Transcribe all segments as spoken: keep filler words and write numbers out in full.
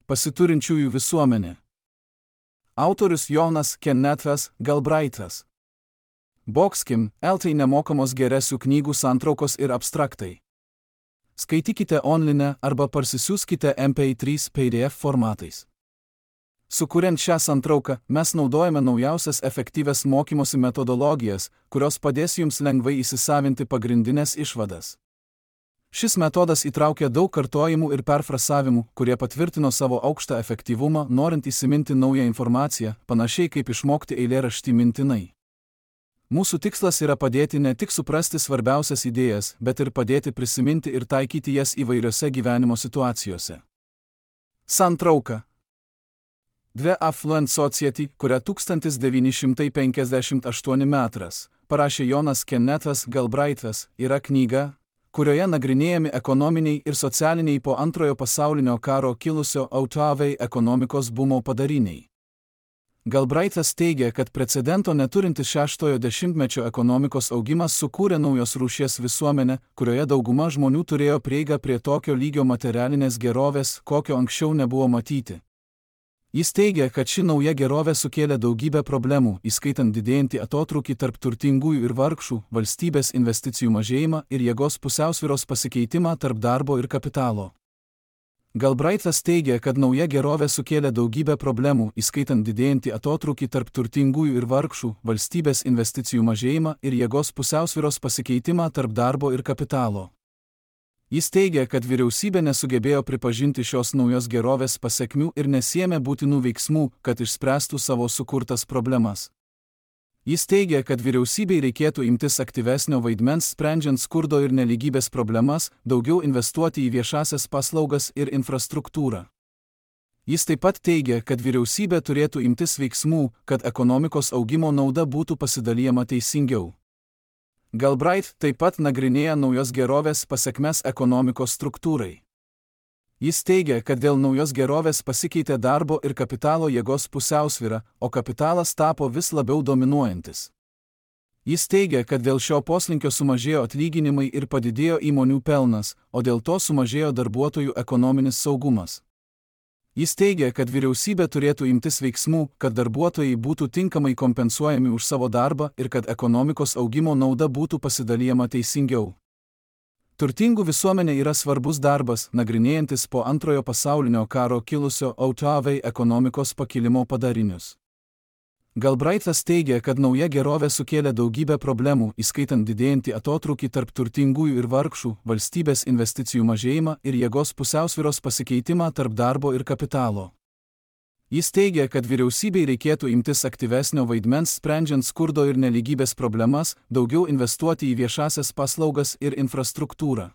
Pasiturinčiųjų visuomenė. Autorius Jonas Kennethas Galbraithas. Boxkim, eltai nemokamos geresių knygų santraukos ir abstraktai. Skaitykite online arba parsisiųskite M P trys P D F formatais. Sukuriant šią santrauką, mes naudojame naujausias efektyvias mokymosi metodologijas, kurios padės jums lengvai įsisavinti pagrindinės išvadas. Šis metodas įtraukia daug kartojimų ir perfrasavimų, kurie patvirtino savo aukštą efektyvumą, norint įsiminti naują informaciją, panašiai kaip išmokti eilėraštį mintinai. Mūsų tikslas yra padėti ne tik suprasti svarbiausias idėjas, bet ir padėti prisiminti ir taikyti jas įvairiose gyvenimo situacijose. Santrauka. The Affluent Society, kurią tūkstantis devyni šimtai penkiasdešimt aštuoni metras parašė Jonas Kennethas Galbraithas, yra knyga, kurioje nagrinėjami ekonominiai ir socialiniai po antrojo pasaulinio karo kilusio autavai ekonomikos bumo padariniai. Galbraithas teigia, kad precedento neturintis šeštojo dešimtmečio ekonomikos augimas sukūrė naujos rūšies visuomenę, kurioje dauguma žmonių turėjo prieigą prie tokio lygio materialinės gerovės, kokio anksčiau nebuvo matyti. Jis teigia, kad ši nauja gerovė sukėlė daugybę problemų, įskaitant didėjantį atotrūkį tarp turtingųjų ir vargšų, valstybės investicijų mažėjimą ir jėgos pusiausvyros pasikeitimą tarp darbo ir kapitalo. Galbraithas teigia, kad nauja gerovė sukėlė daugybę problemų, įskaitant didėjantį atotrūkį tarp turtingųjų ir vargšų, valstybės investicijų mažėjimą ir jėgos pusiausvyros pasikeitimą tarp darbo ir kapitalo. Jis teigia, kad vyriausybė nesugebėjo pripažinti šios naujos gerovės pasekmių ir nesiėmė būtinų veiksmų, kad išspręstų savo sukurtas problemas. Jis teigia, kad vyriausybei reikėtų imtis aktyvesnio vaidmens sprendžiant skurdo ir nelygybės problemas, daugiau investuoti į viešasias paslaugas ir infrastruktūrą. Jis taip pat teigia, kad vyriausybė turėtų imtis veiksmų, kad ekonomikos augimo nauda būtų pasidalijama teisingiau. Galbraith taip pat nagrinėja naujos gerovės pasekmes ekonomikos struktūrai. Jis teigia, kad dėl naujos gerovės pasikeitė darbo ir kapitalo jėgos pusiausvyra, o kapitalas tapo vis labiau dominuojantis. Jis teigia, kad dėl šio poslinkio sumažėjo atlyginimai ir padidėjo įmonių pelnas, o dėl to sumažėjo darbuotojų ekonominis saugumas. Jis teigia, kad vyriausybė turėtų imtis veiksmų, kad darbuotojai būtų tinkamai kompensuojami už savo darbą ir kad ekonomikos augimo nauda būtų pasidalijama teisingiau. Turtingų visuomenė yra svarbus darbas, nagrinėjantis po antrojo pasaulinio karo kilusio autavai ekonomikos pakilimo padarinius. Galbraithas teigia, kad nauja gerovė sukėlė daugybę problemų, įskaitant didėjantį atotrūkį tarp turtingųjų ir vargšų, valstybės investicijų mažėjimą ir jėgos pusiausvyros pasikeitimą tarp darbo ir kapitalo. Jis teigia, kad vyriausybei reikėtų imtis aktyvesnio vaidmens sprendžiant skurdo ir nelygybės problemas, daugiau investuoti į viešasias paslaugas ir infrastruktūrą.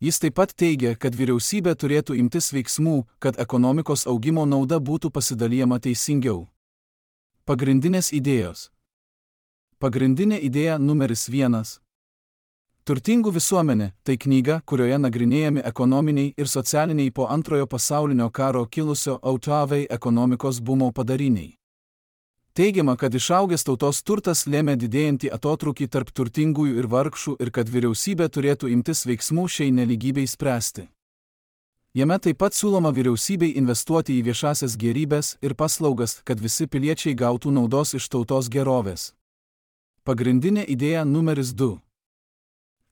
Jis taip pat teigia, kad vyriausybė turėtų imtis veiksmų, kad ekonomikos augimo nauda būtų pasidalijama teisingiau. Pagrindinės idėjos. Pagrindinė idėja numeris vienas. Turtingų visuomenė – tai knyga, kurioje nagrinėjami ekonominiai ir socialiniai po antrojo pasaulinio karo kilusio autavai ekonomikos bumo padariniai. Teigiama, kad išaugęs tautos turtas lėmė didėjantį atotrūkį tarp turtingųjų ir vargšų ir kad vyriausybė turėtų imtis veiksmų šiai nelygybei spręsti. Jame taip pat siūloma vyriausybei investuoti į viešasias gėrybes ir paslaugas, kad visi piliečiai gautų naudos iš tautos gerovės. Pagrindinė idėja numeris du.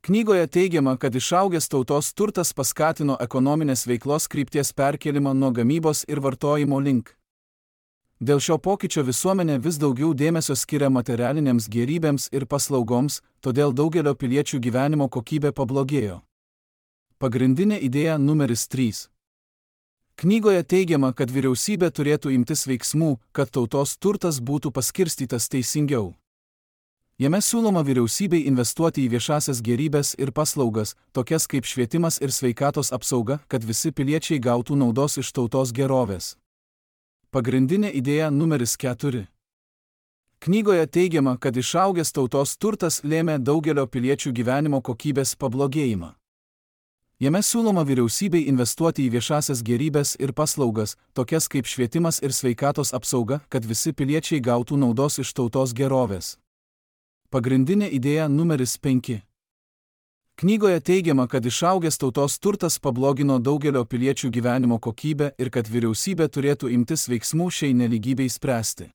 Knygoje teigiama, kad išaugęs tautos turtas paskatino ekonominės veiklos krypties perkėlimą nuo gamybos ir vartojimo link. Dėl šio pokyčio visuomenė vis daugiau dėmesio skiria materialinėms gėrybėms ir paslaugoms, todėl daugelio piliečių gyvenimo kokybė pablogėjo. Pagrindinė idėja numeris trys. Knygoje teigiama, kad vyriausybė turėtų imtis veiksmų, kad tautos turtas būtų paskirstytas teisingiau. Jame siūloma vyriausybei investuoti į viešasias gėrybes ir paslaugas, tokias kaip švietimas ir sveikatos apsauga, kad visi piliečiai gautų naudos iš tautos gerovės. Pagrindinė idėja numeris keturi. Knygoje teigiama, kad išaugęs tautos turtas lėmė daugelio piliečių gyvenimo kokybės pablogėjimą. Jame siūloma vyriausybei investuoti į viešasias gėrybes ir paslaugas, tokias kaip švietimas ir sveikatos apsauga, kad visi piliečiai gautų naudos iš tautos gerovės. Pagrindinė idėja numeris penki. Knygoje teigiama, kad išaugęs tautos turtas pablogino daugelio piliečių gyvenimo kokybę ir kad vyriausybė turėtų imtis veiksmų šiai nelygybei spręsti.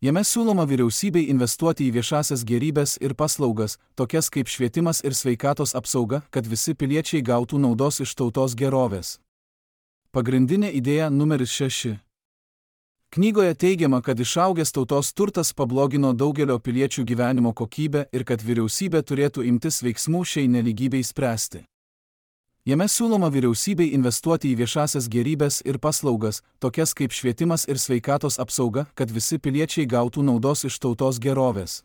Jame siūloma vyriausybei investuoti į viešasias gėrybes ir paslaugas, tokias kaip švietimas ir sveikatos apsauga, kad visi piliečiai gautų naudos iš tautos gerovės. Pagrindinė idėja numeris šeši. Knygoje teigiama, kad išaugęs tautos turtas pablogino daugelio piliečių gyvenimo kokybę ir kad vyriausybė turėtų imtis veiksmų šiai nelygybei spręsti. Jame siūloma vyriausybei investuoti į viešasias gėrybes ir paslaugas, tokias kaip švietimas ir sveikatos apsauga, kad visi piliečiai gautų naudos iš tautos gerovės.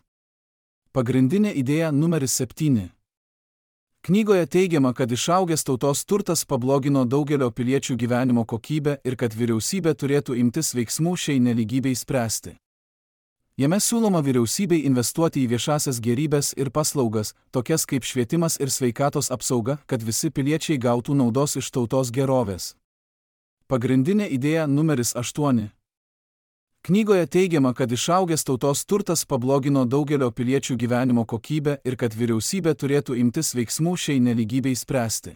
Pagrindinė idėja numeris septyni. Knygoje teigiama, kad išaugęs tautos turtas pablogino daugelio piliečių gyvenimo kokybę ir kad vyriausybė turėtų imtis veiksmų šiai nelygybei spręsti. Jame siūloma vyriausybei investuoti į viešasias gėrybes ir paslaugas, tokias kaip švietimas ir sveikatos apsauga, kad visi piliečiai gautų naudos iš tautos gerovės. Pagrindinė idėja numeris aštuoni. Knygoje teigiama, kad išaugęs tautos turtas pablogino daugelio piliečių gyvenimo kokybę ir kad vyriausybė turėtų imtis veiksmų šiai nelygybei spręsti.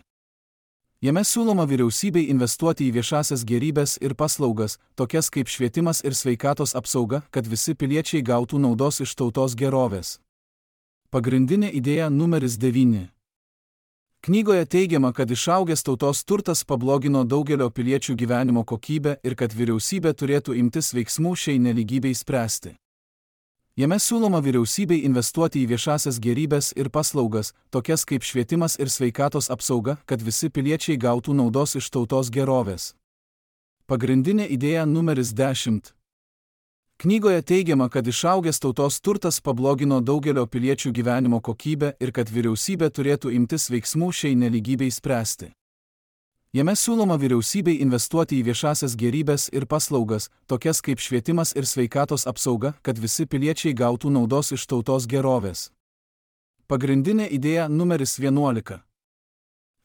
Jame siūloma vyriausybei investuoti į viešasias gėrybes ir paslaugas, tokias kaip švietimas ir sveikatos apsauga, kad visi piliečiai gautų naudos iš tautos gerovės. Pagrindinė idėja numeris devyni. Knygoje teigiama, kad išaugęs tautos turtas pablogino daugelio piliečių gyvenimo kokybę ir kad vyriausybė turėtų imtis veiksmų šiai nelygybei spręsti. Jame siūloma vyriausybei investuoti į viešasias gėrybes ir paslaugas, tokias kaip švietimas ir sveikatos apsauga, kad visi piliečiai gautų naudos iš tautos gerovės. Pagrindinė idėja numeris dešimt. Knygoje teigiama, kad išaugęs tautos turtas pablogino daugelio piliečių gyvenimo kokybę ir kad vyriausybė turėtų imtis veiksmų šiai nelygybei spręsti. Jame siūloma vyriausybei investuoti į viešasias gėrybes ir paslaugas, tokias kaip švietimas ir sveikatos apsauga, kad visi piliečiai gautų naudos iš tautos gerovės. Pagrindinė idėja numeris vienuolika.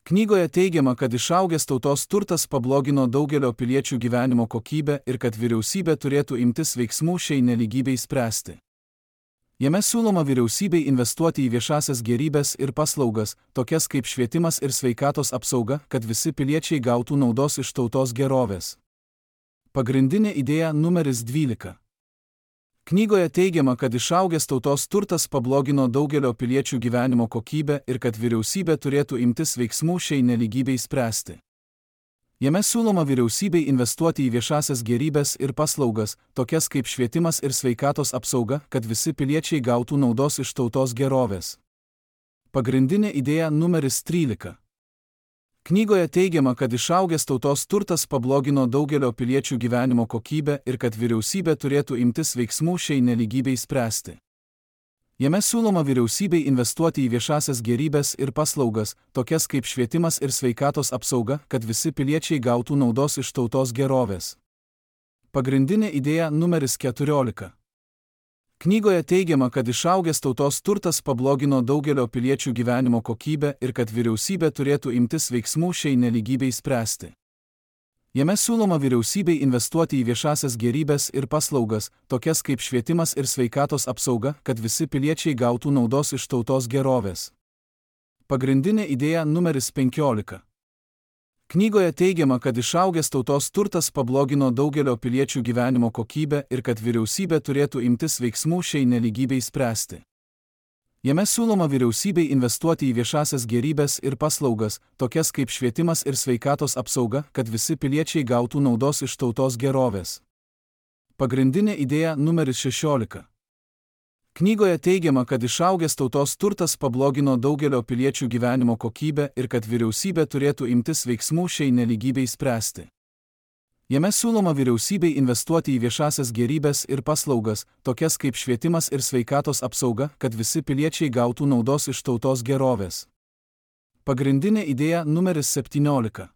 Knygoje teigiama, kad išaugęs tautos turtas pablogino daugelio piliečių gyvenimo kokybę ir kad vyriausybė turėtų imtis veiksmų šiai nelygybei spręsti. Jame siūloma vyriausybei investuoti į viešasias gėrybes ir paslaugas, tokias kaip švietimas ir sveikatos apsauga, kad visi piliečiai gautų naudos iš tautos gerovės. Pagrindinė idėja numeris dvylika. Knygoje teigiama, kad išaugęs tautos turtas pablogino daugelio piliečių gyvenimo kokybę ir kad vyriausybė turėtų imtis veiksmų šiai nelygybei spręsti. Jame siūloma vyriausybei investuoti į viešasias gėrybes ir paslaugas, tokias kaip švietimas ir sveikatos apsauga, kad visi piliečiai gautų naudos iš tautos gerovės. Pagrindinė idėja numeris trylika. Knygoje teigiama, kad išaugęs tautos turtas pablogino daugelio piliečių gyvenimo kokybę ir kad vyriausybė turėtų imtis veiksmų šiai nelygybei spręsti. Jame siūloma vyriausybei investuoti į viešasias gėrybes ir paslaugas, tokias kaip švietimas ir sveikatos apsauga, kad visi piliečiai gautų naudos iš tautos gerovės. Pagrindinė idėja numeris keturiolika. Knygoje teigiama, kad išaugęs tautos turtas pablogino daugelio piliečių gyvenimo kokybę ir kad vyriausybė turėtų imtis veiksmų šiai nelygybei spręsti. Jame siūloma vyriausybei investuoti į viešasias gėrybes ir paslaugas, tokias kaip švietimas ir sveikatos apsauga, kad visi piliečiai gautų naudos iš tautos gerovės. Pagrindinė idėja numeris penkiolika. Knygoje teigiama, kad išaugęs tautos turtas pablogino daugelio piliečių gyvenimo kokybę ir kad vyriausybė turėtų imtis veiksmų šiai nelygybei spręsti. Jame siūloma vyriausybei investuoti į viešasias gėrybes ir paslaugas, tokias kaip švietimas ir sveikatos apsauga, kad visi piliečiai gautų naudos iš tautos gerovės. Pagrindinė idėja numeris šešiolika. Knygoje teigiama, kad išaugęs tautos turtas pablogino daugelio piliečių gyvenimo kokybę ir kad vyriausybė turėtų imtis veiksmų šiai nelygybei spręsti. Jame siūloma vyriausybei investuoti į viešasias gėrybes ir paslaugas, tokias kaip švietimas ir sveikatos apsauga, kad visi piliečiai gautų naudos iš tautos gerovės. Pagrindinė idėja numeris septyniolika.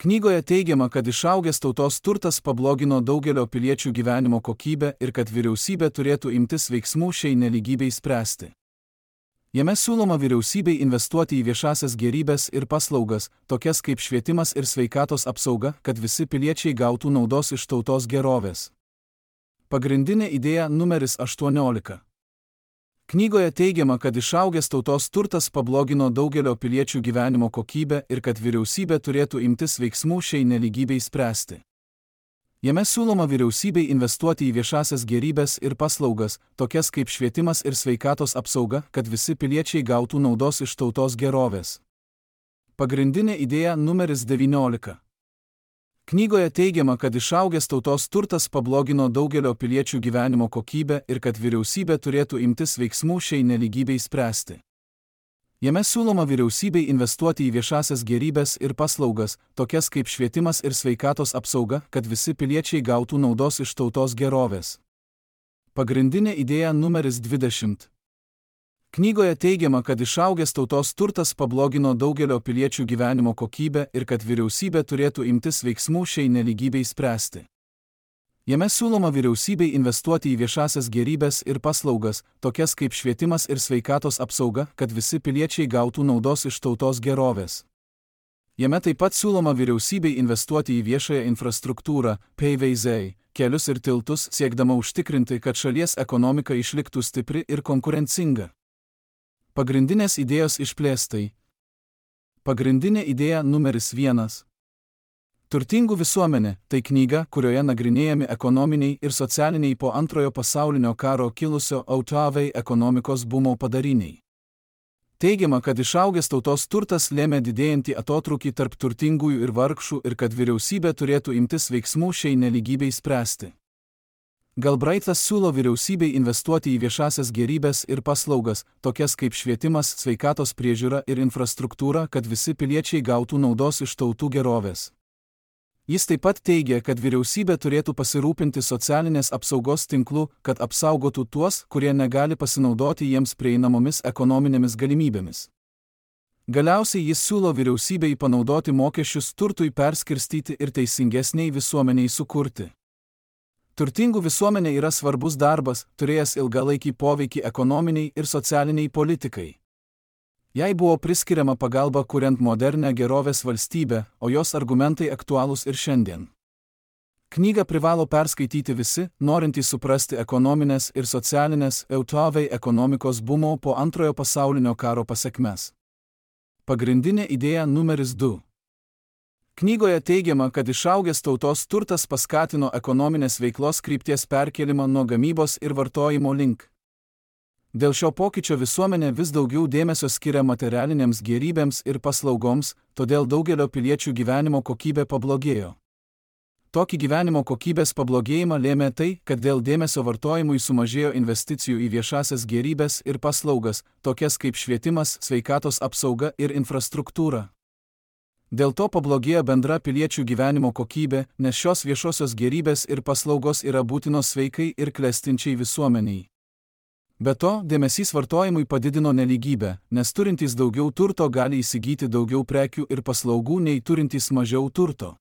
Knygoje teigiama, kad išaugęs tautos turtas pablogino daugelio piliečių gyvenimo kokybę ir kad vyriausybė turėtų imtis veiksmų šiai nelygybei spręsti. Jame siūloma vyriausybei investuoti į viešasias gėrybes ir paslaugas, tokias kaip švietimas ir sveikatos apsauga, kad visi piliečiai gautų naudos iš tautos gerovės. Pagrindinė idėja numeris aštuoniolika. Knygoje teigiama, kad išaugęs tautos turtas pablogino daugelio piliečių gyvenimo kokybę ir kad vyriausybė turėtų imtis veiksmų šiai nelygybei spręsti. Jame siūloma vyriausybei investuoti į viešasias gėrybes ir paslaugas, tokias kaip švietimas ir sveikatos apsauga, kad visi piliečiai gautų naudos iš tautos gerovės. Pagrindinė idėja numeris devyniolika. Knygoje teigiama, kad išaugęs tautos turtas pablogino daugelio piliečių gyvenimo kokybę ir kad vyriausybė turėtų imtis veiksmų šiai nelygybei spręsti. Jame siūloma vyriausybei investuoti į viešasias gėrybes ir paslaugas, tokias kaip švietimas ir sveikatos apsauga, kad visi piliečiai gautų naudos iš tautos gerovės. Pagrindinė idėja numeris dvidešimt. Knygoje teigiama, kad išaugęs tautos turtas pablogino daugelio piliečių gyvenimo kokybę ir kad vyriausybė turėtų imtis veiksmų šiai nelygybei spręsti. Jame siūloma vyriausybei investuoti į viešasias gėrybes ir paslaugas, tokias kaip švietimas ir sveikatos apsauga, kad visi piliečiai gautų naudos iš tautos gerovės. Jame taip pat siūloma vyriausybei investuoti į viešąją infrastruktūrą, P V Z, kelius ir tiltus, siekdama užtikrinti, kad šalies ekonomika išliktų stipri ir konkurencinga. Pagrindinės idėjos išplėstai. Pagrindinė idėja numeris vienas. Turtingų visuomenė – tai knyga, kurioje nagrinėjami ekonominiai ir socialiniai po antrojo pasaulinio karo kilusio autavai ekonomikos bumo padariniai. Teigiama, kad išaugęs tautos turtas lėmė didėjantį atotrūkį tarp turtingųjų ir vargšų ir kad vyriausybė turėtų imtis veiksmų šiai nelygybei spręsti. Galbraitas siūlo vyriausybei investuoti į viešasias gėrybes ir paslaugas, tokias kaip švietimas, sveikatos priežiūra ir infrastruktūra, kad visi piliečiai gautų naudos iš tautų gerovės. Jis taip pat teigia, kad vyriausybė turėtų pasirūpinti socialinės apsaugos tinklu, kad apsaugotų tuos, kurie negali pasinaudoti jiems prieinamomis ekonominėmis galimybėmis. Galiausiai jis siūlo vyriausybei panaudoti mokesčius turtui perskirstyti ir teisingesniai visuomeniai sukurti. Turtingų visuomenė yra svarbus darbas, turėjęs ilgalaikį poveikį ekonominiai ir socialiniai politikai. Jai buvo priskiriama pagalba kuriant modernę gerovės valstybę, o jos argumentai aktualūs ir šiandien. Knygą privalo perskaityti visi, norintys suprasti ekonominės ir socialinės autavai ekonomikos bumo po antrojo pasaulinio karo pasekmes. Pagrindinė idėja numeris du. Knygoje teigiama, kad išaugęs tautos turtas paskatino ekonominės veiklos krypties perkėlimą nuo gamybos ir vartojimo link. Dėl šio pokyčio visuomenė vis daugiau dėmesio skiria materialinėms gėrybėms ir paslaugoms, todėl daugelio piliečių gyvenimo kokybė pablogėjo. Tokį gyvenimo kokybės pablogėjimą lėmė tai, kad dėl dėmesio vartojimui sumažėjo investicijų į viešasias gėrybes ir paslaugas, tokias kaip švietimas, sveikatos apsauga ir infrastruktūra. Dėl to pablogėjo bendra piliečių gyvenimo kokybė, nes šios viešosios gėrybės ir paslaugos yra būtinos sveikai ir klestinčiai visuomeniai. Be to, dėmesys vartojimui padidino nelygybę, nes turintys daugiau turto gali įsigyti daugiau prekių ir paslaugų nei turintys mažiau turto.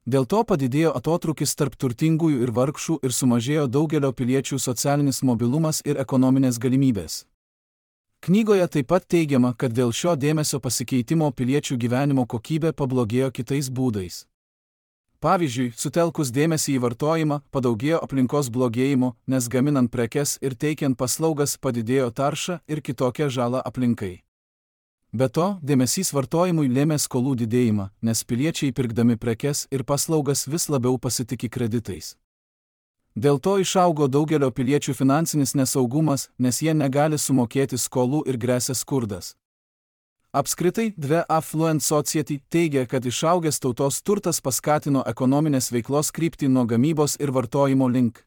Dėl to padidėjo atotrūkis tarp turtingųjų ir vargšų ir sumažėjo daugelio piliečių socialinis mobilumas ir ekonominės galimybės. Knygoje taip pat teigiama, kad dėl šio dėmesio pasikeitimo piliečių gyvenimo kokybė pablogėjo kitais būdais. Pavyzdžiui, sutelkus dėmesį į vartojimą, padaugėjo aplinkos blogėjimo, nes gaminant prekes ir teikiant paslaugas padidėjo tarša ir kitokia žala aplinkai. Be to, dėmesys vartojimui lėmė skolų didėjimą, nes piliečiai pirkdami prekes ir paslaugas vis labiau pasitiki kreditais. Dėl to išaugo daugelio piliečių finansinis nesaugumas, nes jie negali sumokėti skolų ir gresia skurdas. Apskritai, The Affluent Society teigia, kad išaugęs tautos turtas paskatino ekonominės veiklos kryptį nuo gamybos ir vartojimo link.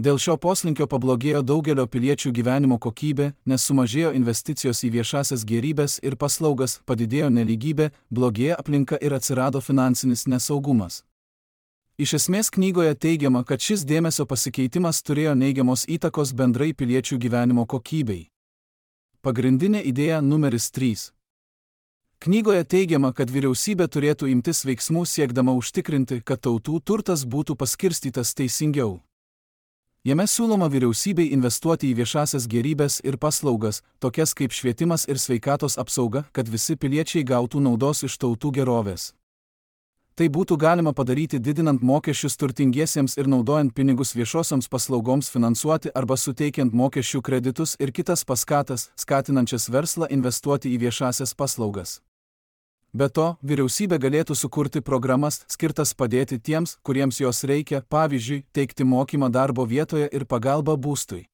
Dėl šio poslinkio pablogėjo daugelio piliečių gyvenimo kokybė, nes sumažėjo investicijos į viešasias gėrybes ir paslaugas, padidėjo nelygybė, blogėjo aplinka ir atsirado finansinis nesaugumas. Iš esmės knygoje teigiama, kad šis dėmesio pasikeitimas turėjo neigiamos įtakos bendrai piliečių gyvenimo kokybei. Pagrindinė idėja numeris trys. Knygoje teigiama, kad vyriausybė turėtų imtis veiksmų siekdama užtikrinti, kad tautų turtas būtų paskirstytas teisingiau. Jame siūloma vyriausybei investuoti į viešasias gėrybes ir paslaugas, tokias kaip švietimas ir sveikatos apsauga, kad visi piliečiai gautų naudos iš tautų gerovės. Tai būtų galima padaryti didinant mokesčius turtingiesiems ir naudojant pinigus viešosioms paslaugoms finansuoti arba suteikiant mokesčių kreditus ir kitas paskatas, skatinančias verslą investuoti į viešasias paslaugas. Be to, vyriausybė galėtų sukurti programas, skirtas padėti tiems, kuriems jos reikia, pavyzdžiui, teikti mokymą darbo vietoje ir pagalbą būstui.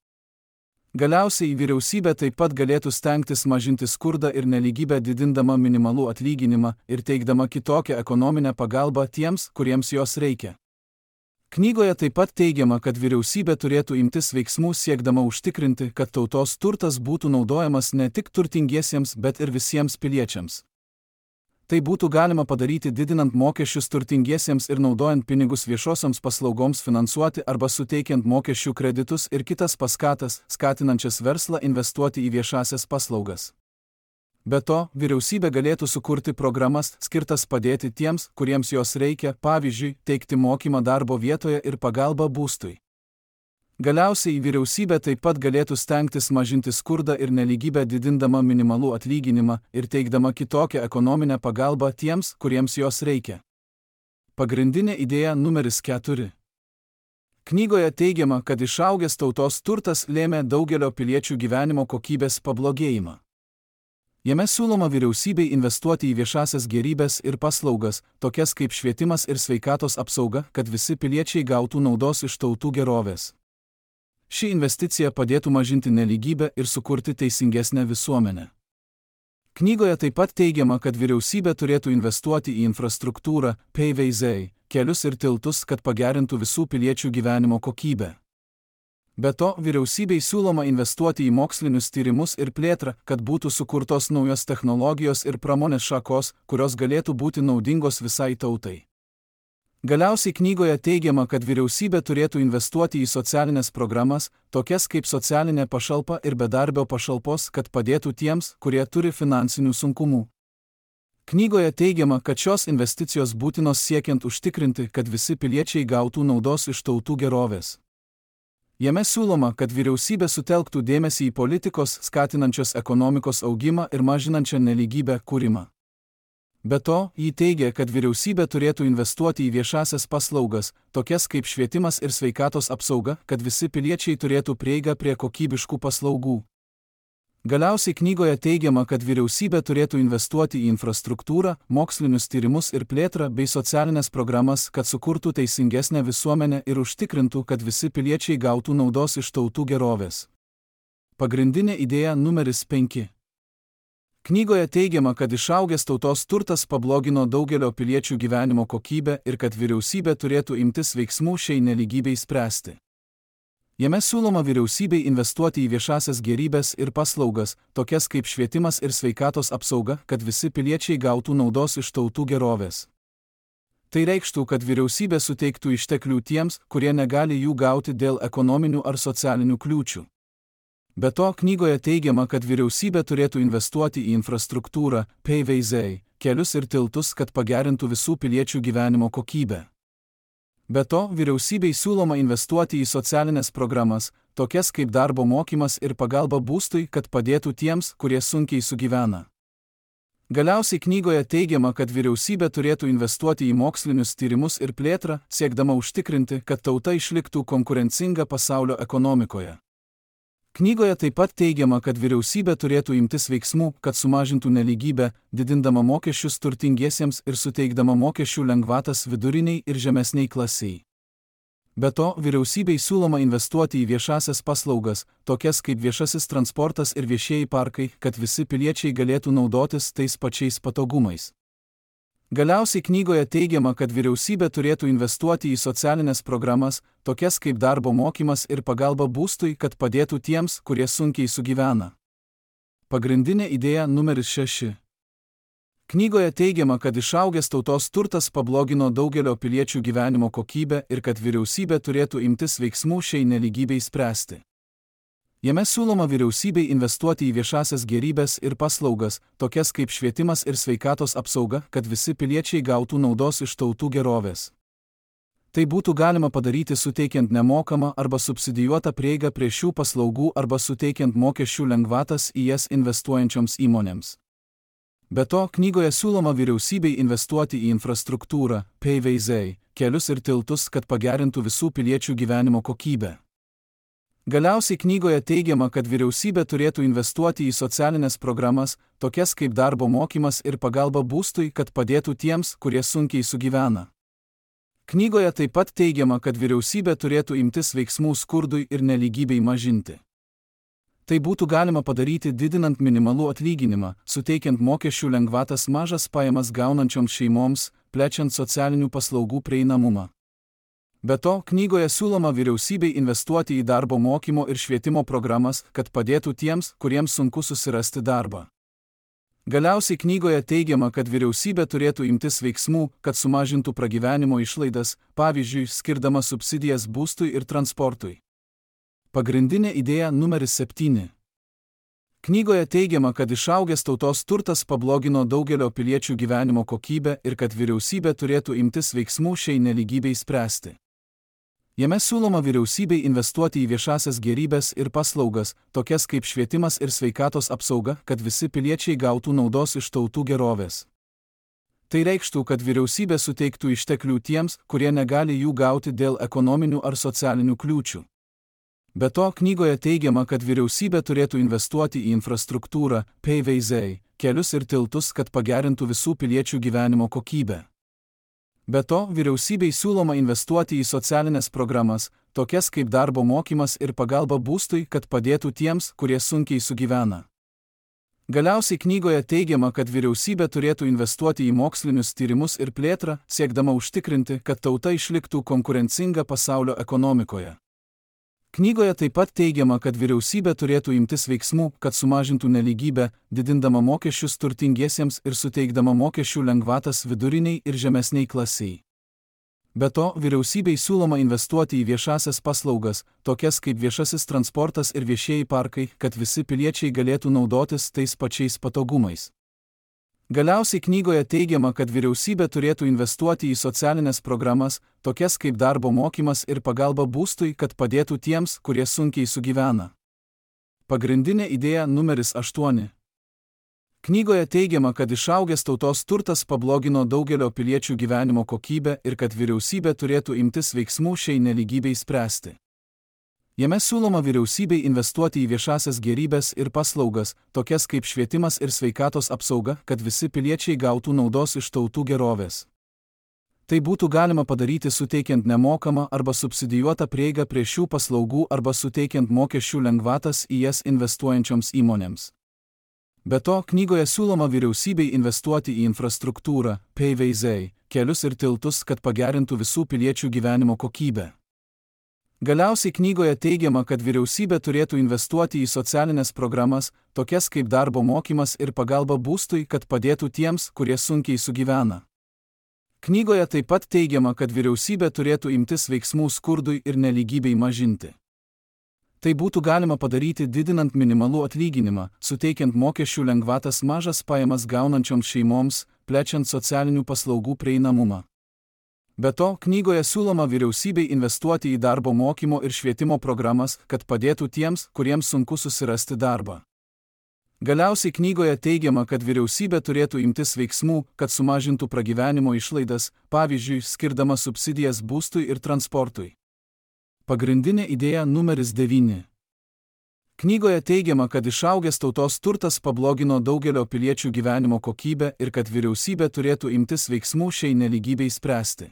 Galiausiai vyriausybė taip pat galėtų stengtis mažinti skurdą ir nelygybę didindama minimalų atlyginimą ir teikdama kitokią ekonominę pagalbą tiems, kuriems jos reikia. Knygoje taip pat teigiama, kad vyriausybė turėtų imtis veiksmų siekdama užtikrinti, kad tautos turtas būtų naudojamas ne tik turtingiesiems, bet ir visiems piliečiams. Tai būtų galima padaryti didinant mokesčius turtingiesiems ir naudojant pinigus viešosioms paslaugoms finansuoti arba suteikiant mokesčių kreditus ir kitas paskatas, skatinančias verslą investuoti į viešasias paslaugas. Be to, vyriausybė galėtų sukurti programas, skirtas padėti tiems, kuriems jos reikia, pavyzdžiui, teikti mokymą darbo vietoje ir pagalbą būstui. Galiausiai vyriausybė taip pat galėtų stengtis mažinti skurdą ir nelygybę didindama minimalų atlyginimą ir teikdama kitokią ekonominę pagalbą tiems, kuriems jos reikia. Pagrindinė idėja numeris keturi. Knygoje teigiama, kad išaugęs tautos turtas lėmė daugelio piliečių gyvenimo kokybės pablogėjimą. Jame siūloma vyriausybei investuoti į viešasias gėrybes ir paslaugas, tokias kaip švietimas ir sveikatos apsauga, kad visi piliečiai gautų naudos iš tautų gerovės. Ši investicija padėtų mažinti nelygybę ir sukurti teisingesnę visuomenę. Knygoje taip pat teigiama, kad vyriausybė turėtų investuoti į infrastruktūrą, P V Z, kelius ir tiltus, kad pagerintų visų piliečių gyvenimo kokybę. Be to, vyriausybei siūloma investuoti į mokslinius tyrimus ir plėtrą, kad būtų sukurtos naujos technologijos ir pramonės šakos, kurios galėtų būti naudingos visai tautai. Galiausiai knygoje teigiama, kad vyriausybė turėtų investuoti į socialinės programas, tokias kaip socialinė pašalpa ir bedarbio pašalpos, kad padėtų tiems, kurie turi finansinių sunkumų. Knygoje teigiama, kad šios investicijos būtinos siekiant užtikrinti, kad visi piliečiai gautų naudos iš tautų gerovės. Jame siūloma, kad vyriausybė sutelktų dėmesį į politikos, skatinančios ekonomikos augimą ir mažinančią nelygybę kūrimą. Be to, jį teigia, kad vyriausybė turėtų investuoti į viešasias paslaugas, tokias kaip švietimas ir sveikatos apsauga, kad visi piliečiai turėtų prieigą prie kokybiškų paslaugų. Galiausiai knygoje teigiama, kad vyriausybė turėtų investuoti į infrastruktūrą, mokslinius tyrimus ir plėtrą bei socialinės programas, kad sukurtų teisingesnę visuomenę ir užtikrintų, kad visi piliečiai gautų naudos iš tautų gerovės. Pagrindinė idėja numeris penki. Knygoje teigiama, kad išaugęs tautos turtas pablogino daugelio piliečių gyvenimo kokybę ir kad vyriausybė turėtų imtis veiksmų šiai nelygybei spręsti. Jame siūloma vyriausybei investuoti į viešasias gėrybes ir paslaugas, tokias kaip švietimas ir sveikatos apsauga, kad visi piliečiai gautų naudos iš tautų gerovės. Tai reikštų, kad vyriausybė suteiktų išteklių tiems, kurie negali jų gauti dėl ekonominių ar socialinių kliūčių. Be to, knygoje teigiama, kad vyriausybė turėtų investuoti į infrastruktūrą, P V Z, kelius ir tiltus, kad pagerintų visų piliečių gyvenimo kokybę. Be to, vyriausybei siūloma investuoti į socialinės programas, tokias kaip darbo mokymas ir pagalba būstui, kad padėtų tiems, kurie sunkiai sugyvena. Galiausiai knygoje teigiama, kad vyriausybė turėtų investuoti į mokslinius tyrimus ir plėtrą, siekdama užtikrinti, kad tauta išliktų konkurencinga pasaulio ekonomikoje. Knygoje taip pat teigiama, kad vyriausybė turėtų imtis veiksmų, kad sumažintų nelygybę, didindama mokesčius turtingiesiems ir suteikdama mokesčių lengvatas viduriniai ir žemesniai klasiai. Be to, vyriausybei siūloma investuoti į viešasias paslaugas, tokias kaip viešasis transportas ir viešieji parkai, kad visi piliečiai galėtų naudotis tais pačiais patogumais. Galiausiai knygoje teigiama, kad vyriausybė turėtų investuoti į socialinės programas, tokias kaip darbo mokymas ir pagalba būstui, kad padėtų tiems, kurie sunkiai sugyvena. Pagrindinė idėja numeris šeši. Knygoje teigiama, kad išaugęs tautos turtas pablogino daugelio piliečių gyvenimo kokybę ir kad vyriausybė turėtų imtis veiksmų šiai nelygybei spręsti. Jame siūloma vyriausybei investuoti į viešasias gėrybes ir paslaugas, tokias kaip švietimas ir sveikatos apsauga, kad visi piliečiai gautų naudos iš tautų gerovės. Tai būtų galima padaryti suteikiant nemokamą arba subsidijuotą prieigą prie šių paslaugų arba suteikiant mokesčių lengvatas į jas investuojančioms įmonėms. Be to, knygoje siūloma vyriausybei investuoti į infrastruktūrą, P V Z, kelius ir tiltus, kad pagerintų visų piliečių gyvenimo kokybę. Galiausiai knygoje teigiama, kad vyriausybė turėtų investuoti į socialinės programas, tokias kaip darbo mokymas ir pagalba būstui, kad padėtų tiems, kurie sunkiai sugyvena. Knygoje taip pat teigiama, kad vyriausybė turėtų imtis veiksmų skurdui ir nelygybei mažinti. Tai būtų galima padaryti didinant minimalų atlyginimą, suteikiant mokesčių lengvatas mažas pajamas gaunančioms šeimoms, plečiant socialinių paslaugų prieinamumą. Be to, knygoje siūloma vyriausybei investuoti į darbo mokymo ir švietimo programas, kad padėtų tiems, kuriems sunku susirasti darbą. Galiausiai knygoje teigiama, kad vyriausybė turėtų imtis veiksmų, kad sumažintų pragyvenimo išlaidas, pavyzdžiui, skirdama subsidijas būstui ir transportui. Pagrindinė idėja numeris septyni. Knygoje teigiama, kad išaugęs tautos turtas pablogino daugelio piliečių gyvenimo kokybę ir kad vyriausybė turėtų imtis veiksmų šiai nelygybei spręsti. Jame siūloma vyriausybei investuoti į viešasias gėrybes ir paslaugas, tokias kaip švietimas ir sveikatos apsauga, kad visi piliečiai gautų naudos iš tautų gerovės. Tai reikštų, kad vyriausybė suteiktų išteklių tiems, kurie negali jų gauti dėl ekonominių ar socialinių kliūčių. Be to, knygoje teigiama, kad vyriausybė turėtų investuoti į infrastruktūrą, P V Z, kelius ir tiltus, kad pagerintų visų piliečių gyvenimo kokybę. Be to, vyriausybei siūloma investuoti į socialinės programas, tokias kaip darbo mokymas ir pagalba būstui, kad padėtų tiems, kurie sunkiai sugyvena. Galiausiai knygoje teigiama, kad vyriausybė turėtų investuoti į mokslinius tyrimus ir plėtrą, siekdama užtikrinti, kad tauta išliktų konkurencinga pasaulio ekonomikoje. Knygoje taip pat teigiama, kad vyriausybė turėtų imtis veiksmų, kad sumažintų nelygybę, didindama mokesčius turtingiesiems ir suteikdama mokesčių lengvatas viduriniai ir žemesniai klasiai. Be to, vyriausybei siūloma investuoti į viešasias paslaugas, tokias kaip viešasis transportas ir viešieji parkai, kad visi piliečiai galėtų naudotis tais pačiais patogumais. Galiausiai knygoje teigiama, kad vyriausybė turėtų investuoti į socialinės programas, tokias kaip darbo mokymas ir pagalba būstui, kad padėtų tiems, kurie sunkiai sugyvena. Pagrindinė idėja numeris aštuoni. Knygoje teigiama, kad išaugęs tautos turtas pablogino daugelio piliečių gyvenimo kokybę ir kad vyriausybė turėtų imtis veiksmų šiai nelygybei spręsti. Jame siūloma vyriausybei investuoti į viešasias gėrybes ir paslaugas, tokias kaip švietimas ir sveikatos apsauga, kad visi piliečiai gautų naudos iš tautų gerovės. Tai būtų galima padaryti suteikiant nemokamą arba subsidijuotą prieigą prie šių paslaugų arba suteikiant mokesčių lengvatas į jas investuojančioms įmonėms. Be to, knygoje siūloma vyriausybei investuoti į infrastruktūrą, P V Z, kelius ir tiltus, kad pagerintų visų piliečių gyvenimo kokybę. Galiausiai knygoje teigiama, kad vyriausybė turėtų investuoti į socialinės programas, tokias kaip darbo mokymas ir pagalba būstui, kad padėtų tiems, kurie sunkiai sugyvena. Knygoje taip pat teigiama, kad vyriausybė turėtų imtis veiksmų skurdui ir nelygybei mažinti. Tai būtų galima padaryti didinant minimalų atlyginimą, suteikiant mokesčių lengvatas mažas pajamas gaunančioms šeimoms, plečiant socialinių paslaugų prieinamumą. Be to, knygoje siūloma vyriausybei investuoti į darbo mokymo ir švietimo programas, kad padėtų tiems, kuriems sunku susirasti darbą. Galiausiai knygoje teigiama, kad vyriausybė turėtų imtis veiksmų, kad sumažintų pragyvenimo išlaidas, pavyzdžiui, skirdama subsidijas būstui ir transportui. Pagrindinė idėja numeris devyni. Knygoje teigiama, kad išaugęs tautos turtas pablogino daugelio piliečių gyvenimo kokybę ir kad vyriausybė turėtų imtis veiksmų šiai nelygybei spręsti.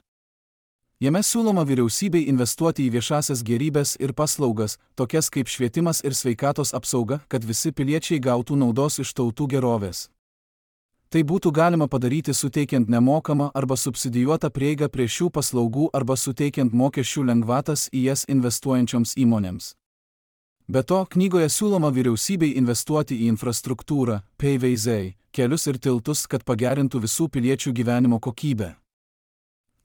Jame siūloma vyriausybei investuoti į viešasias gėrybes ir paslaugas, tokias kaip švietimas ir sveikatos apsauga, kad visi piliečiai gautų naudos iš tautų gerovės. Tai būtų galima padaryti suteikiant nemokamą arba subsidijuotą prieigą prie šių paslaugų arba suteikiant mokesčių lengvatas į jas investuojančioms įmonėms. Be to, knygoje siūloma vyriausybei investuoti į infrastruktūrą, P V Z, kelius ir tiltus, kad pagerintų visų piliečių gyvenimo kokybę.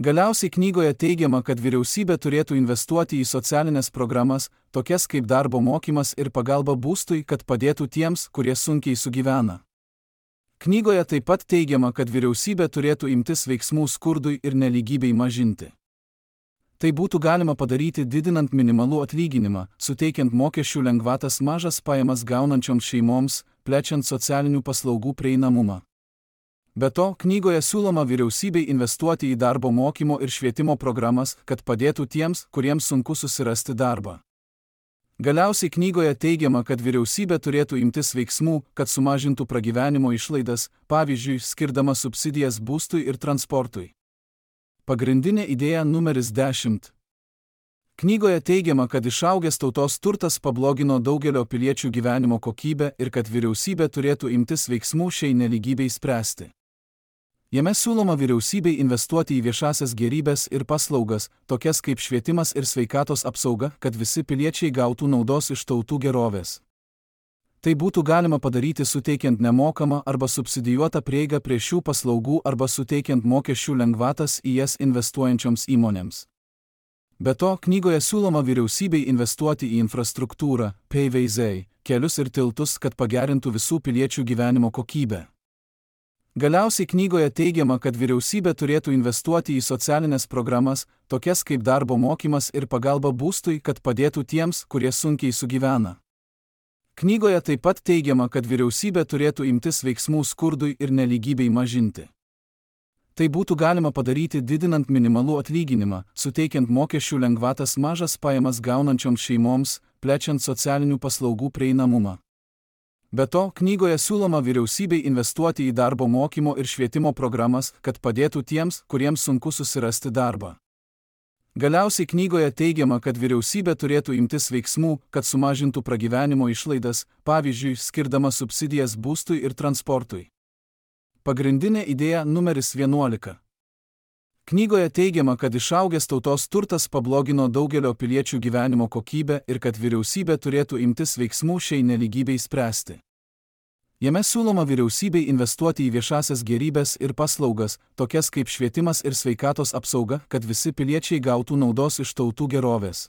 Galiausiai knygoje teigiama, kad vyriausybė turėtų investuoti į socialinės programas, tokias kaip darbo mokymas ir pagalba būstui, kad padėtų tiems, kurie sunkiai sugyvena. Knygoje taip pat teigiama, kad vyriausybė turėtų imtis veiksmų skurdui ir nelygybei mažinti. Tai būtų galima padaryti didinant minimalų atlyginimą, suteikiant mokesčių lengvatas mažas pajamas gaunančioms šeimoms, plečiant socialinių paslaugų prieinamumą. Be to, knygoje siūloma vyriausybei investuoti į darbo mokymo ir švietimo programas, kad padėtų tiems, kuriems sunku susirasti darbą. Galiausiai knygoje teigiama, kad vyriausybė turėtų imtis veiksmų, kad sumažintų pragyvenimo išlaidas, pavyzdžiui, skirdama subsidijas būstui ir transportui. Pagrindinė idėja numeris dešimt. Knygoje teigiama, kad išaugęs tautos turtas pablogino daugelio piliečių gyvenimo kokybę ir kad vyriausybė turėtų imtis veiksmų šiai nelygybei spręsti. Jame siūloma vyriausybei investuoti į viešasias gėrybes ir paslaugas, tokias kaip švietimas ir sveikatos apsauga, kad visi piliečiai gautų naudos iš tautų gerovės. Tai būtų galima padaryti suteikiant nemokamą arba subsidijuotą prieigą prie šių paslaugų arba suteikiant mokesčių lengvatas į jas investuojančioms įmonėms. Be to, knygoje siūloma vyriausybei investuoti į infrastruktūrą, P V Z, kelius ir tiltus, kad pagerintų visų piliečių gyvenimo kokybę. Galiausiai knygoje teigiama, kad vyriausybė turėtų investuoti į socialinės programas, tokias kaip darbo mokymas ir pagalba būstui, kad padėtų tiems, kurie sunkiai sugyvena. Knygoje taip pat teigiama, kad vyriausybė turėtų imtis veiksmų skurdui ir nelygybei mažinti. Tai būtų galima padaryti didinant minimalų atlyginimą, suteikiant mokesčių lengvatas mažas pajamas gaunančioms šeimoms, plečiant socialinių paslaugų prieinamumą. Be to, knygoje siūloma vyriausybei investuoti į darbo mokymo ir švietimo programas, kad padėtų tiems, kuriems sunku susirasti darbą. Galiausiai knygoje teigiama, kad vyriausybė turėtų imtis veiksmų, kad sumažintų pragyvenimo išlaidas, pavyzdžiui, skirdama subsidijas būstui ir transportui. Pagrindinė idėja numeris vienuolika. Knygoje teigiama, kad išaugęs tautos turtas pablogino daugelio piliečių gyvenimo kokybę ir kad vyriausybė turėtų imtis veiksmų šiai nelygybei spręsti. Jame siūloma vyriausybei investuoti į viešasias gėrybes ir paslaugas, tokias kaip švietimas ir sveikatos apsauga, kad visi piliečiai gautų naudos iš tautų gerovės.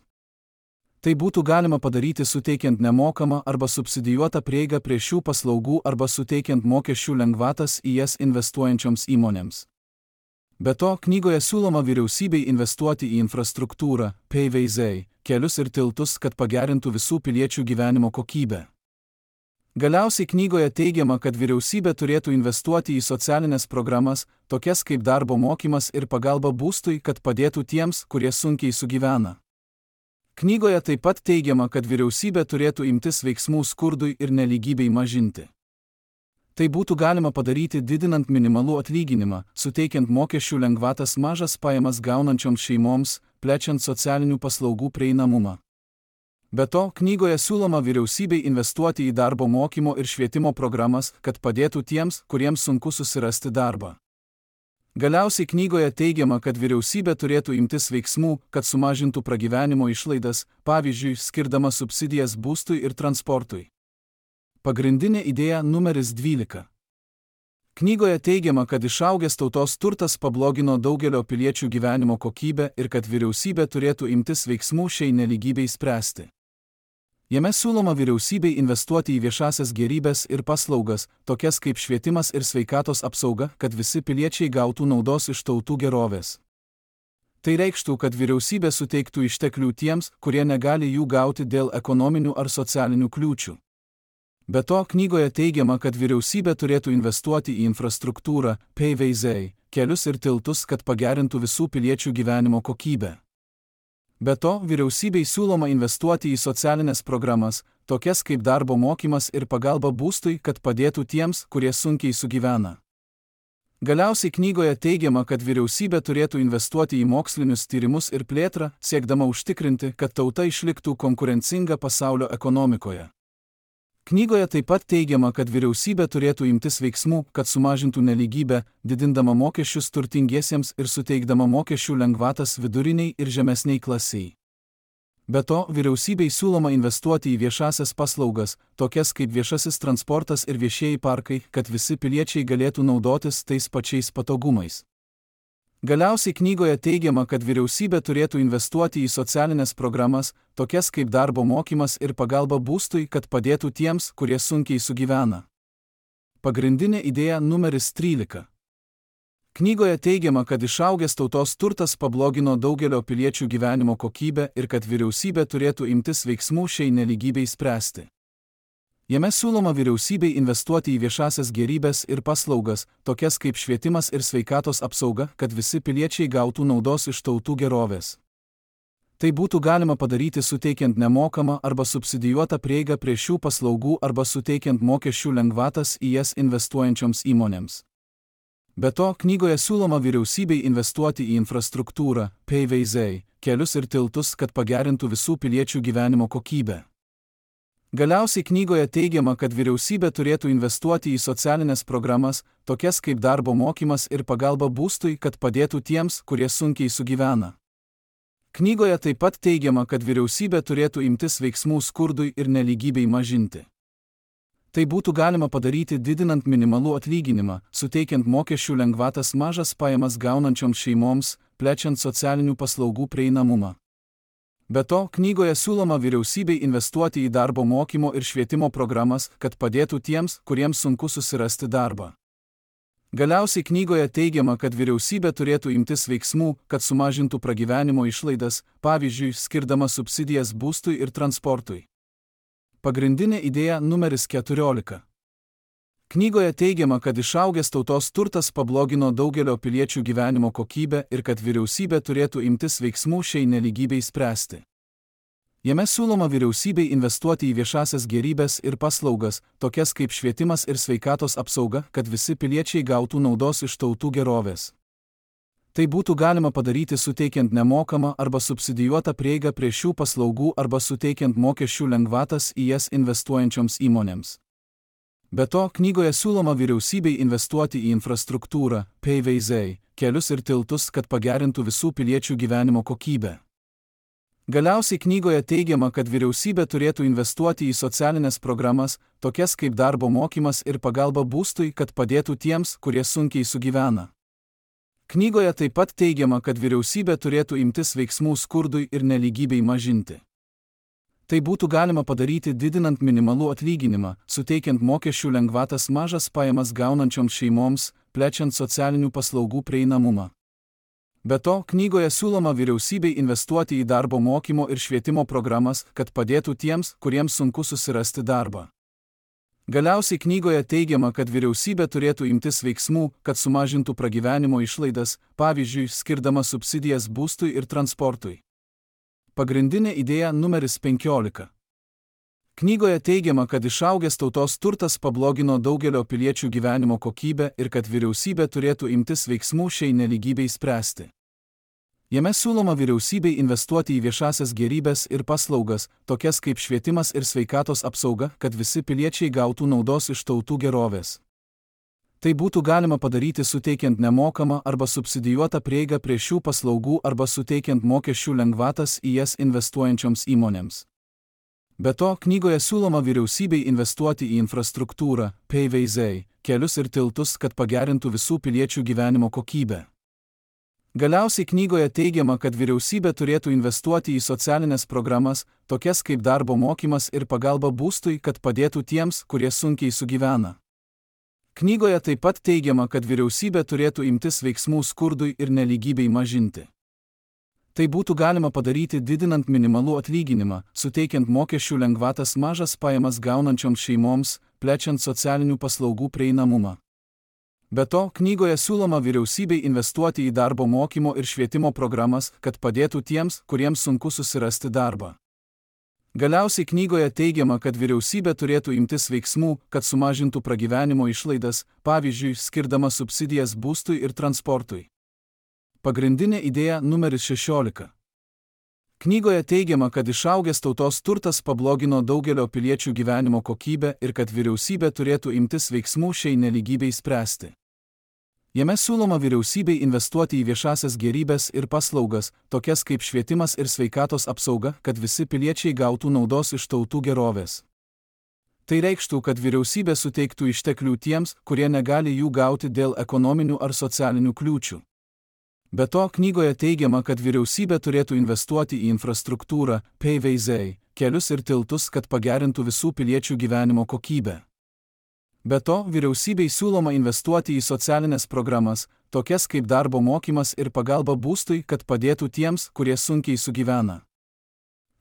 Tai būtų galima padaryti suteikiant nemokamą arba subsidijuotą prieigą prie šių paslaugų arba suteikiant mokesčių lengvatas į jas investuojančioms įmonėms. Be to, knygoje siūloma vyriausybei investuoti į infrastruktūrą, P V Z, kelius ir tiltus, kad pagerintų visų piliečių gyvenimo kokybę. Galiausiai knygoje teigiama, kad vyriausybė turėtų investuoti į socialinės programas, tokias kaip darbo mokymas ir pagalba būstui, kad padėtų tiems, kurie sunkiai sugyvena. Knygoje taip pat teigiama, kad vyriausybė turėtų imtis veiksmų skurdui ir nelygybei mažinti. Tai būtų galima padaryti didinant minimalų atlyginimą, suteikiant mokesčių lengvatas mažas pajamas gaunančioms šeimoms, plečiant socialinių paslaugų prieinamumą. Be to, knygoje siūloma vyriausybei investuoti į darbo mokymo ir švietimo programas, kad padėtų tiems, kuriems sunku susirasti darbą. Galiausiai knygoje teigiama, kad vyriausybė turėtų imtis veiksmų, kad sumažintų pragyvenimo išlaidas, pavyzdžiui, skirdama subsidijas būstui ir transportui. Pagrindinė idėja numeris dvylika. Knygoje teigiama, kad išaugęs tautos turtas pablogino daugelio piliečių gyvenimo kokybę ir kad vyriausybė turėtų imtis veiksmų šiai nelygybei spręsti. Jame siūloma vyriausybei investuoti į viešasias gėrybes ir paslaugas, tokias kaip švietimas ir sveikatos apsauga, kad visi piliečiai gautų naudos iš tautų gerovės. Tai reikštų, kad vyriausybė suteiktų išteklių tiems, kurie negali jų gauti dėl ekonominių ar socialinių kliūčių. Be to, knygoje teigiama, kad vyriausybė turėtų investuoti į infrastruktūrą, P V Z, kelius ir tiltus, kad pagerintų visų piliečių gyvenimo kokybę. Be to, vyriausybei siūloma investuoti į socialinės programas, tokias kaip darbo mokymas ir pagalba būstui, kad padėtų tiems, kurie sunkiai sugyvena. Galiausiai knygoje teigiama, kad vyriausybė turėtų investuoti į mokslinius tyrimus ir plėtrą, siekdama užtikrinti, kad tauta išliktų konkurencinga pasaulio ekonomikoje. Knygoje taip pat teigiama, kad vyriausybė turėtų imtis veiksmų, kad sumažintų nelygybę, didindama mokesčius turtingiesiems ir suteikdama mokesčių lengvatas viduriniai ir žemesniai klasiai. Be to, vyriausybei siūloma investuoti į viešasias paslaugas, tokias kaip viešasis transportas ir viešieji parkai, kad visi piliečiai galėtų naudotis tais pačiais patogumais. Galiausiai knygoje teigiama, kad vyriausybė turėtų investuoti į socialinės programas, tokias kaip darbo mokymas ir pagalba būstui, kad padėtų tiems, kurie sunkiai sugyvena. Pagrindinė idėja numeris trylika. Knygoje teigiama, kad išaugęs tautos turtas pablogino daugelio piliečių gyvenimo kokybę ir kad vyriausybė turėtų imtis veiksmų šiai nelygybei spręsti. Jame siūloma vyriausybei investuoti į viešasias gėrybes ir paslaugas, tokias kaip švietimas ir sveikatos apsauga, kad visi piliečiai gautų naudos iš tautų gerovės. Tai būtų galima padaryti suteikiant nemokamą arba subsidijuotą prieigą prie šių paslaugų arba suteikiant mokesčių lengvatas į jas investuojančioms įmonėms. Be to, knygoje siūloma vyriausybei investuoti į infrastruktūrą, paveiziai, kelius ir tiltus, kad pagerintų visų piliečių gyvenimo kokybę. Galiausiai knygoje teigiama, kad vyriausybė turėtų investuoti į socialinės programas, tokias kaip darbo mokymas ir pagalba būstui, kad padėtų tiems, kurie sunkiai sugyvena. Knygoje taip pat teigiama, kad vyriausybė turėtų imtis veiksmų skurdui ir nelygybei mažinti. Tai būtų galima padaryti didinant minimalų atlyginimą, suteikiant mokesčių lengvatas mažas pajamas gaunančioms šeimoms, plečiant socialinių paslaugų prieinamumą. Be to, knygoje siūloma vyriausybei investuoti į darbo mokymo ir švietimo programas, kad padėtų tiems, kuriems sunku susirasti darbą. Galiausiai knygoje teigiama, kad vyriausybė turėtų imtis veiksmų, kad sumažintų pragyvenimo išlaidas, pavyzdžiui, skirdama subsidijas būstui ir transportui. Pagrindinė idėja numeris keturiolika. Knygoje teigiama, kad išaugęs tautos turtas pablogino daugelio piliečių gyvenimo kokybę ir kad vyriausybė turėtų imtis veiksmų šiai nelygybei spręsti. Jame siūloma vyriausybei investuoti į viešasias gėrybes ir paslaugas, tokias kaip švietimas ir sveikatos apsauga, kad visi piliečiai gautų naudos iš tautų gerovės. Tai būtų galima padaryti suteikiant nemokamą arba subsidijuotą prieigą prie šių paslaugų arba suteikiant mokesčių lengvatas į jas investuojančioms įmonėms. Be to, knygoje siūloma vyriausybei investuoti į infrastruktūrą, paveiziai, kelius ir tiltus, kad pagerintų visų piliečių gyvenimo kokybę. Galiausiai knygoje teigiama, kad vyriausybė turėtų investuoti į socialinės programas, tokias kaip darbo mokymas ir pagalba būstui, kad padėtų tiems, kurie sunkiai sugyvena. Knygoje taip pat teigiama, kad vyriausybė turėtų imtis veiksmų skurdui ir nelygybei mažinti. Tai būtų galima padaryti didinant minimalų atlyginimą, suteikiant mokesčių lengvatas mažas pajamas gaunančioms šeimoms, plečiant socialinių paslaugų prieinamumą. Be to, knygoje siūloma vyriausybei investuoti į darbo mokymo ir švietimo programas, kad padėtų tiems, kuriems sunku susirasti darbą. Galiausiai knygoje teigiama, kad vyriausybė turėtų imtis veiksmų, kad sumažintų pragyvenimo išlaidas, pavyzdžiui, skirdama subsidijas būstui ir transportui. Pagrindinė idėja numeris penkiolika. Knygoje teigiama, kad išaugęs tautos turtas pablogino daugelio piliečių gyvenimo kokybę ir kad vyriausybė turėtų imtis veiksmų šiai nelygybei spręsti. Jame siūloma vyriausybei investuoti į viešasias gėrybes ir paslaugas, tokias kaip švietimas ir sveikatos apsauga, kad visi piliečiai gautų naudos iš tautų gerovės. Tai būtų galima padaryti suteikiant nemokamą arba subsidijuotą prieigą prie šių paslaugų arba suteikiant mokesčių lengvatas į jas investuojančioms įmonėms. Be to, knygoje siūloma vyriausybei investuoti į infrastruktūrą, paveiziai, kelius ir tiltus, kad pagerintų visų piliečių gyvenimo kokybę. Galiausiai knygoje teigiama, kad vyriausybė turėtų investuoti į socialinės programas, tokias kaip darbo mokymas ir pagalba būstui, kad padėtų tiems, kurie sunkiai sugyvena. Knygoje taip pat teigiama, kad vyriausybė turėtų imtis veiksmų skurdui ir nelygybei mažinti. Tai būtų galima padaryti didinant minimalų atlyginimą, suteikiant mokesčių lengvatas mažas pajamas gaunančioms šeimoms, plečiant socialinių paslaugų prieinamumą. Be to, knygoje siūloma vyriausybei investuoti į darbo mokymo ir švietimo programas, kad padėtų tiems, kuriems sunku susirasti darbą. Galiausiai knygoje teigiama, kad vyriausybė turėtų imtis veiksmų, kad sumažintų pragyvenimo išlaidas, pavyzdžiui, skirdama subsidijas būstui ir transportui. Pagrindinė idėja numeris šešiolika. Knygoje teigiama, kad išaugęs tautos turtas pablogino daugelio piliečių gyvenimo kokybę ir kad vyriausybė turėtų imtis veiksmų šiai nelygybei spręsti. Jame siūloma vyriausybei investuoti į viešasias gėrybes ir paslaugas, tokias kaip švietimas ir sveikatos apsauga, kad visi piliečiai gautų naudos iš tautų gerovės. Tai reikštų, kad vyriausybė suteiktų išteklių tiems, kurie negali jų gauti dėl ekonominių ar socialinių kliūčių. Be to, knygoje teigiama, kad vyriausybė turėtų investuoti į infrastruktūrą, paveiziai, kelius ir tiltus, kad pagerintų visų piliečių gyvenimo kokybę. Be to, vyriausybei siūloma investuoti į socialinės programas, tokias kaip darbo mokymas ir pagalba būstui, kad padėtų tiems, kurie sunkiai sugyvena.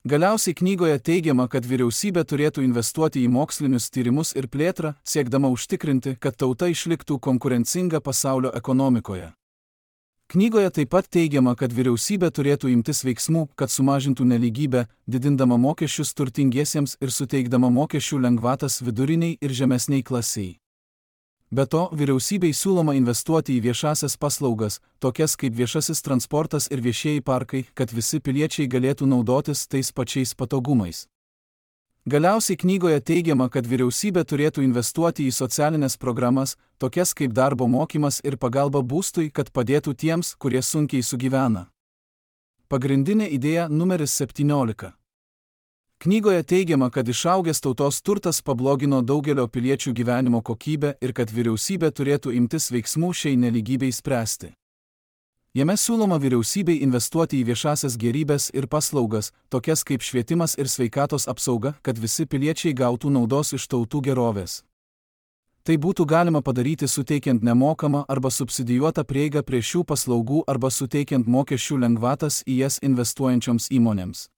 Galiausiai knygoje teigiama, kad vyriausybė turėtų investuoti į mokslinius tyrimus ir plėtrą, siekdama užtikrinti, kad tauta išliktų konkurencinga pasaulio ekonomikoje. Knygoje taip pat teigiama, kad vyriausybė turėtų imtis veiksmų, kad sumažintų nelygybę, didindama mokesčius turtingiesiems ir suteikdama mokesčių lengvatas viduriniai ir žemesniai klasiai. Be to, vyriausybei siūloma investuoti į viešasias paslaugas, tokias kaip viešasis transportas ir viešieji parkai, kad visi piliečiai galėtų naudotis tais pačiais patogumais. Galiausiai knygoje teigiama, kad vyriausybė turėtų investuoti į socialinės programas, tokias kaip darbo mokymas ir pagalba būstui, kad padėtų tiems, kurie sunkiai sugyvena. Pagrindinė idėja numeris septyniolika. Knygoje teigiama, kad išaugęs tautos turtas pablogino daugelio piliečių gyvenimo kokybę ir kad vyriausybė turėtų imtis veiksmų šiai nelygybei spręsti. Jame siūloma vyriausybei investuoti į viešasias gėrybes ir paslaugas, tokias kaip švietimas ir sveikatos apsauga, kad visi piliečiai gautų naudos iš tautų gerovės. Tai būtų galima padaryti suteikiant nemokamą arba subsidijuotą prieigą prie šių paslaugų arba suteikiant mokesčių lengvatas į jas investuojančioms įmonėms.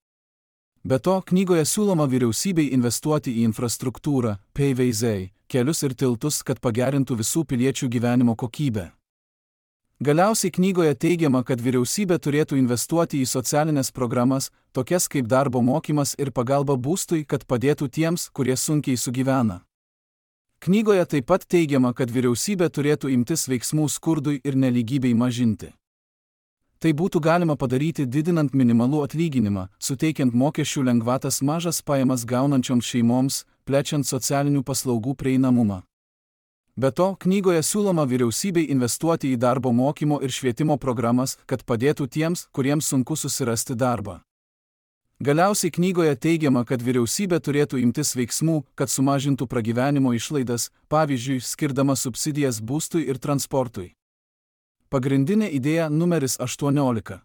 Be to, knygoje siūloma vyriausybei investuoti į infrastruktūrą, P V Z, kelius ir tiltus, kad pagerintų visų piliečių gyvenimo kokybę. Galiausiai knygoje teigiama, kad vyriausybė turėtų investuoti į socialinės programas, tokias kaip darbo mokymas ir pagalba būstui, kad padėtų tiems, kurie sunkiai sugyvena. Knygoje taip pat teigiama, kad vyriausybė turėtų imtis veiksmų skurdui ir nelygybei mažinti. Tai būtų galima padaryti didinant minimalų atlyginimą, suteikiant mokesčių lengvatas mažas pajamas gaunančioms šeimoms, plečiant socialinių paslaugų prieinamumą. Be to, knygoje siūloma vyriausybei investuoti į darbo mokymo ir švietimo programas, kad padėtų tiems, kuriems sunku susirasti darbą. Galiausiai knygoje teigiama, kad vyriausybė turėtų imtis veiksmų, kad sumažintų pragyvenimo išlaidas, pavyzdžiui, skirdama subsidijas būstui ir transportui. Pagrindinė idėja numeris aštuoniolika.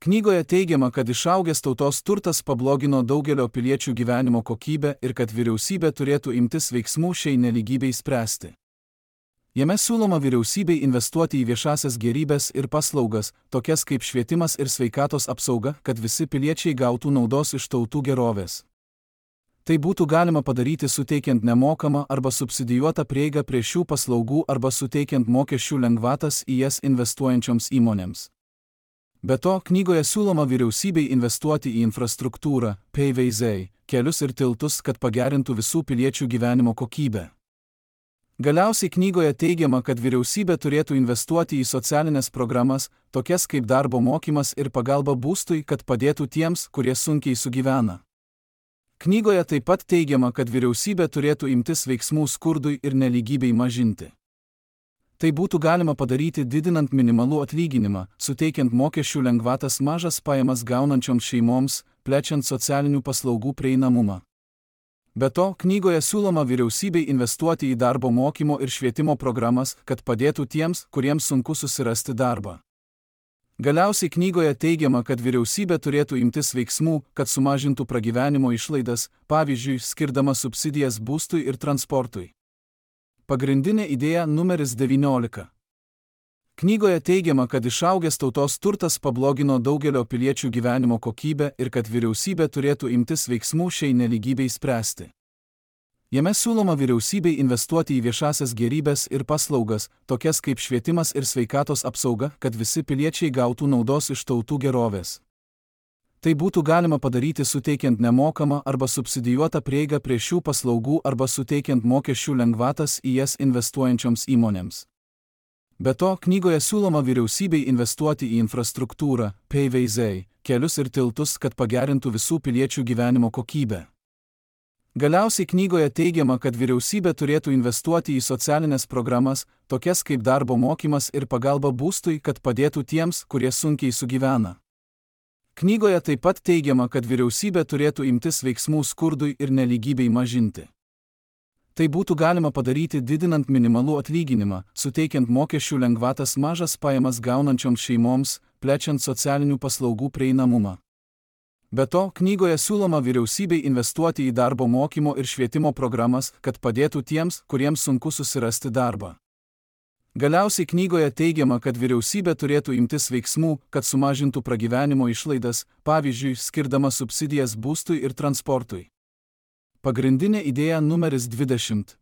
Knygoje teigiama, kad išaugęs tautos turtas pablogino daugelio piliečių gyvenimo kokybę ir kad vyriausybė turėtų imtis veiksmų šiai nelygybei spręsti. Jame siūloma vyriausybei investuoti į viešasias gėrybes ir paslaugas, tokias kaip švietimas ir sveikatos apsauga, kad visi piliečiai gautų naudos iš tautų gerovės. Tai būtų galima padaryti suteikiant nemokamą arba subsidijuotą prieigą prie šių paslaugų arba suteikiant mokesčių lengvatas į jas investuojančioms įmonėms. Be to, knygoje siūloma vyriausybei investuoti į infrastruktūrą, P V Z, kelius ir tiltus, kad pagerintų visų piliečių gyvenimo kokybę. Galiausiai knygoje teigiama, kad vyriausybė turėtų investuoti į socialinės programas, tokias kaip darbo mokymas ir pagalba būstui, kad padėtų tiems, kurie sunkiai sugyvena. Knygoje taip pat teigiama, kad vyriausybė turėtų imtis veiksmų skurdui ir nelygybei mažinti. Tai būtų galima padaryti didinant minimalų atlyginimą, suteikiant mokesčių lengvatas mažas pajamas gaunančioms šeimoms, plečiant socialinių paslaugų prieinamumą. Be to, knygoje siūloma vyriausybei investuoti į darbo mokymo ir švietimo programas, kad padėtų tiems, kuriems sunku susirasti darbą. Galiausiai knygoje teigiama, kad vyriausybė turėtų imtis veiksmų, kad sumažintų pragyvenimo išlaidas, pavyzdžiui, skirdama subsidijas būstui ir transportui. Pagrindinė idėja numeris devyniolika. Knygoje teigiama, kad išaugęs tautos turtas pablogino daugelio piliečių gyvenimo kokybę ir kad vyriausybė turėtų imtis veiksmų šiai nelygybei spręsti. Jame siūloma vyriausybei investuoti į viešasias gėrybes ir paslaugas, tokias kaip švietimas ir sveikatos apsauga, kad visi piliečiai gautų naudos iš tautų gerovės. Tai būtų galima padaryti suteikiant nemokamą arba subsidijuotą prieigą prie šių paslaugų arba suteikiant mokesčių lengvatas į jas investuojančioms įmonėms. Be to, knygoje siūloma vyriausybei investuoti į infrastruktūrą, P V Z, kelius ir tiltus, kad pagerintų visų piliečių gyvenimo kokybę. Galiausiai knygoje teigiama, kad vyriausybė turėtų investuoti į socialinės programas, tokias kaip darbo mokymas ir pagalba būstui, kad padėtų tiems, kurie sunkiai sugyvena. Knygoje taip pat teigiama, kad vyriausybė turėtų imtis veiksmų skurdui ir nelygybei mažinti. Tai būtų galima padaryti didinant minimalų atlyginimą, suteikiant mokesčių lengvatas mažas pajamas gaunančioms šeimoms, plečiant socialinių paslaugų prieinamumą. Be to, knygoje siūloma vyriausybei investuoti į darbo mokymo ir švietimo programas, kad padėtų tiems, kuriems sunku susirasti darbą. Galiausiai knygoje teigiama, kad vyriausybė turėtų imtis veiksmų, kad sumažintų pragyvenimo išlaidas, pavyzdžiui, skirdama subsidijas būstui ir transportui. Pagrindinė idėja numeris dvidešimt.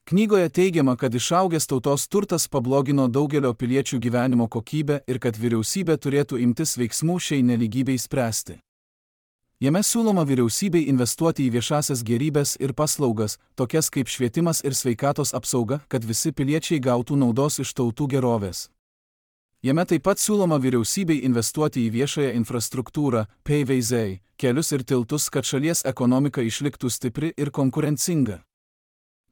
Knygoje teigiama, kad išaugęs tautos turtas pablogino daugelio piliečių gyvenimo kokybę ir kad vyriausybė turėtų imtis veiksmų šiai nelygybei spręsti. Jame siūloma vyriausybei investuoti į viešasias gėrybes ir paslaugas, tokias kaip švietimas ir sveikatos apsauga, kad visi piliečiai gautų naudos iš tautų gerovės. Jame taip pat siūloma vyriausybei investuoti į viešąją infrastruktūrą, P V Z, kelius ir tiltus, kad šalies ekonomika išliktų stipri ir konkurencinga.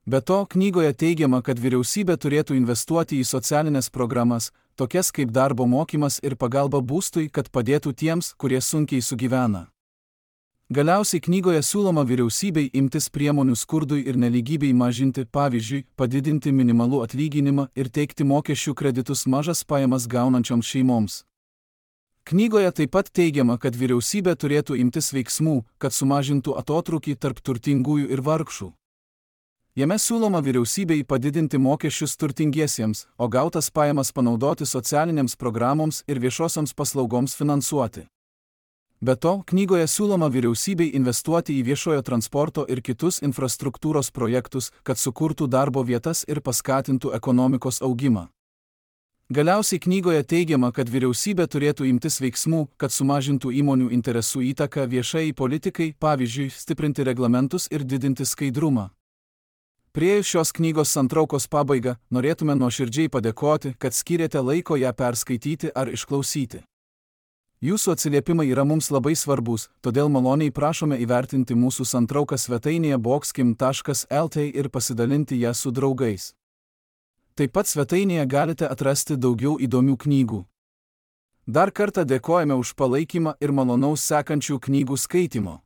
Be to, knygoje teigiama, kad vyriausybė turėtų investuoti į socialinės programas, tokias kaip darbo mokymas ir pagalba būstui, kad padėtų tiems, kurie sunkiai sugyvena. Galiausiai knygoje siūloma vyriausybei imtis priemonių skurdui ir nelygybei mažinti, pavyzdžiui, padidinti minimalų atlyginimą ir teikti mokesčių kreditus mažas pajamas gaunančioms šeimoms. Knygoje taip pat teigiama, kad vyriausybė turėtų imtis veiksmų, kad sumažintų atotrūkį tarp turtingųjų ir vargšų. Jame siūloma vyriausybei padidinti mokesčius turtingiesiems, o gautas pajamas panaudoti socialinėms programoms ir viešosioms paslaugoms finansuoti. Be to, knygoje siūloma vyriausybei investuoti į viešojo transporto ir kitus infrastruktūros projektus, kad sukurtų darbo vietas ir paskatintų ekonomikos augimą. Galiausiai knygoje teigiama, kad vyriausybė turėtų imtis veiksmų, kad sumažintų įmonių interesų įtaką viešai politikai, pavyzdžiui, stiprinti reglamentus ir didinti skaidrumą. Priėjus šios knygos santraukos pabaigą, norėtume nuoširdžiai padėkoti, kad skyrėte laiko ją perskaityti ar išklausyti. Jūsų atsiliepimai yra mums labai svarbus, todėl maloniai prašome įvertinti mūsų santrauką svetainėje boxkim taškas el t ir pasidalinti ją su draugais. Taip pat svetainėje galite atrasti daugiau įdomių knygų. Dar kartą dėkojame už palaikymą ir malonaus sekančių knygų skaitimo.